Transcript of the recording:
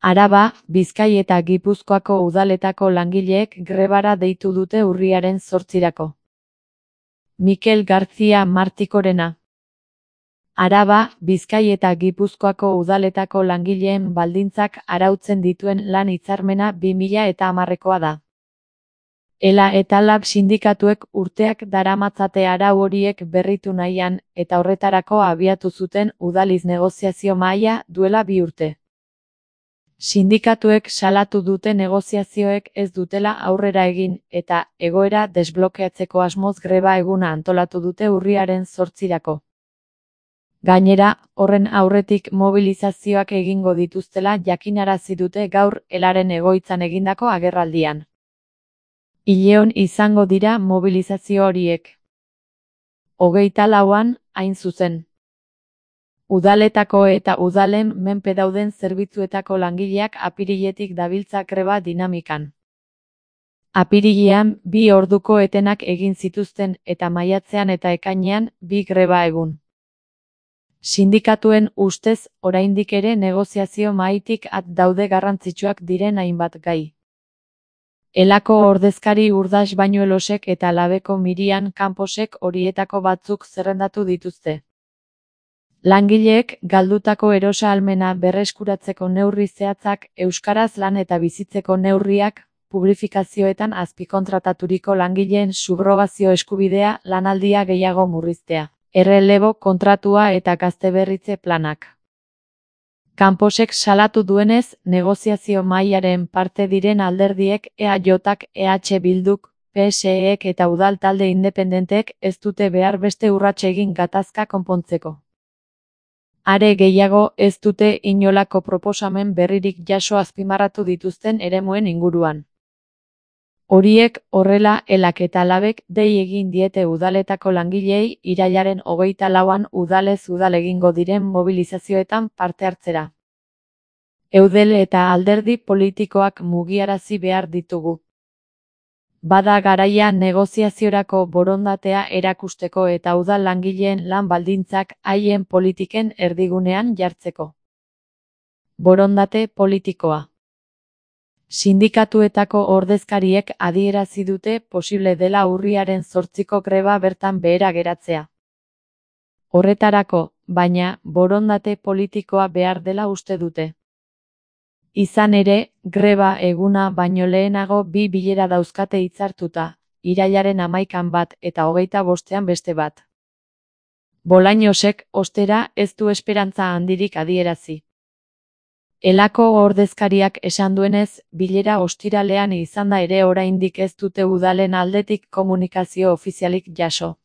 Araba, Bizkai eta Gipuzkoako udaletako langileek grebara deitu dute urriaren 8-rako. Mikel García Martikorena. Araba, Bizkai eta Gipuzkoako udaletako langileen baldintzak arautzen dituen lan hitzarmena 2010koa da. ELA eta LAB sindikatuek urteak daramatzate arau horiek berritu nahian, eta horretarako abiatu zuten udaliz negoziazio mahaia duela 2 urte. Sindikatuek salatu dute negoziazioek ez dutela aurrera egin, eta egoera desblokeatzeko asmoz greba eguna antolatu dute urriaren 8-rako. Gainera, horren aurretik mobilizazioak egingo dituztela jakinarazi dute gaur ELAren egoitzan egindako agerraldian. Ileon izango dira mobilizazio horiek. 24an, hain zuzen. Udaletako eta udalen menpe dauden zerbitzuetako langileak apiriletik dabiltza greba dinamikan. Apirilean 2 orduko etenak egin zituzten eta maiatzean eta ekainean 2 greba egun. Sindikatuen ustez, oraindik ere negoziazio mahaitik at daude garrantzitsuak diren hainbat gai. ELAko ordezkari Urdas Bañuelosek eta LABeko Miriam Camposek horietako batzuk zerrendatu dituzte. Langileek galdutako erosa-ahalmena berreskuratzeko neurri zehatzak, euskaraz lan eta bizitzeko neurriak, publifikazioetan azpikontrataturiko langileen subrogazio eskubidea, lanaldia gehiago murriztea, errelebo kontratua eta gazteberritze planak. Camposek salatu duenez, negoziazio mahaiaren parte diren alderdiek EAJak, EH Bilduk, PSEek eta udal talde independenteek ez dute behar beste urrats egin gatazka konpontzeko. Are gehiago, ez dute inolako proposamen berririk jaso azpimarratu dituzten eremuen inguruan. Horiek horrela, ELAk eta LABek dei egin diete udaletako langileei irailaren 24an udalez udal egingo diren mobilizazioetan parte hartzera. Eudel eta alderdi politikoak mugiarazi behar ditugu. Bada garaia negoziaziorako borondatea erakusteko eta udal langileen lan baldintzak haien politiken erdigunean jartzeko. Borondate politikoa. Sindikatuetako ordezkariek adierazi dute posible dela urriaren 8ko greba bertan behera geratzea. Horretarako, baina, borondate politikoa behar dela uste dute. Izan ere, greba eguna baino lehenago 2 bilera dauzkate hitzartuta, irailaren 11an bat eta 25ean beste bat. Bolañosek, ostera, ez du esperantza handirik adierazi. ELAko ordezkariak esan duenez, bilera ostiralean izanda ere oraindik ez dute udalen aldetik komunikazio ofizialik jaso.